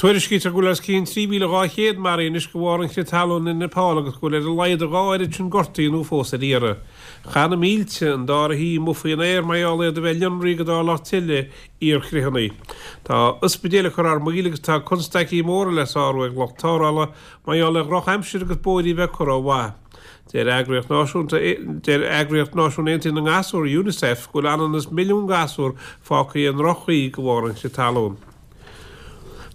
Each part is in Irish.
Tuairiscítear go bhfuil os cionn 3,200 maraithe anois de bharr an chrith talún i Nepal agus go bhfuil ar a laghad a dhá oiread sin gortaithe nó fós ar iarraidh. Chaith na mílte an dara thaobh amuigh faoin aer mar gheall iad a bheith líonraithe go dtarlódh tuilleadh iarchritheanna. Tá ospidéil ag cur thar maoil agus tá constaicí móra le sárú ag lucht tarrthála mar gheall ar dhrochaimsir agus bóithrí a bheith curtha ó mhaith. Deir Eagraíocht Náisiúnta Deir Eagraíocht Náisiún Aontaithe na nGasúr, Unicef, go bhfuil ionann is milliún gasúr fágtha i ndroch-chaoi de bharr an chrith talún.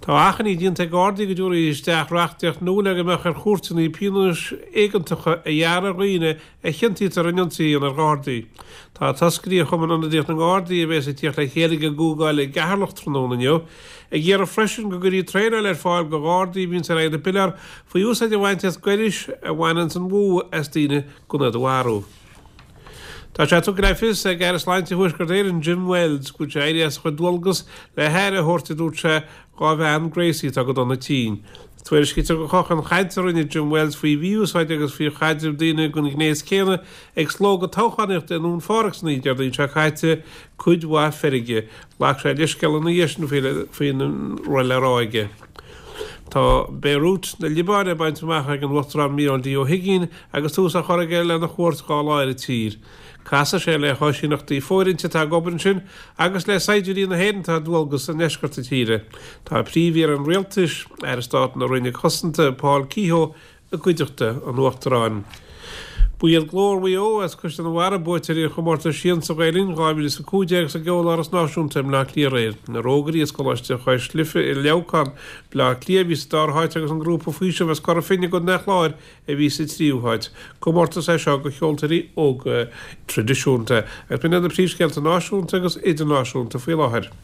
Tá achainí déanta ag Gardaí go dtabharfaí isteach reachtaíocht nua le go mbeadh ar chúirteanna pionóis éigeantacha a ghearradh ar dhaoine a chiontaítear in ionsaí a dhéanamh ar Ghardaí. Tá toscairí ó Chumann Ionadaíoch na nGardaí, a bhéas ag tíocht le chéile ag an gcomhdháil i gCeatharlach tráthnóna inniu, ag iarraidh freisin go gcuirfí traenáil ar fáil do Ghardaí a bhíonns ar aghaidh na bpiléar faoi úsáid a bhaint as gairis a bhaineanns an bhfuath as daoine gan iad a mharú. Tá sé tugtha le fios ag Aire Sláinte Thuaisceart Éireann, Jim Wells, go bhfuil sé éirithe as a chuid dualgas le haire a thabhairt, a dúirt sé, dhá bhean, Gracie, atá go dona tinn. Tuairiscítear gur chothódh an chaint a rinne Jim Wells faoi mhí-úsáid agus faoi chaidreamh daoine den ghnéas céanna ag slógadh toghchánaíochta i nDún Phádraig san oíche Déardaoin seo caite cuid mhaith feirge. Ghlac sé leithscéal ina dhiaidh sin faoina raibh le rá aige. Tá Beirut na Liobáine bainte amach ag an Uachtarán Micheál D. Ó hUigínn agus tús á chur aige lena chuairt dá lá ar an tír. Casfaidh sé le háisíneachtaí fóirithinte atá ag obair ansin agus le saighdiúirí na hÉireann atá ar dualgas i ndeisceart na tíre. Tá Príomh-Aoire an Rialtais, Aire Stáit na Roinne Cosanta, Paul Kehoe, i gcuideachta an Uachtaráin. Ba iad Glór Mhaigh Eo as Caisleán an Bharraigh buaiteoirí an chomórtais Siansa Ghael-Linn 2015 sa gCeoláras Náisiúnta i mBleá Cliath aréir. Na Rógairí as Coláiste Chois Life i Leamhcán, Bleá Cliath a bhí sa dara háit agus an grúpa Faoiseamh as Cora Finne i gContae an Chláir a bhí sa tríú háit. Comórtas é seo do cheoltóirí óga traidisiúnta. Agus b'in iad na príomhscéalta náisiúnta agus idirnáisiúnta faoi láthair.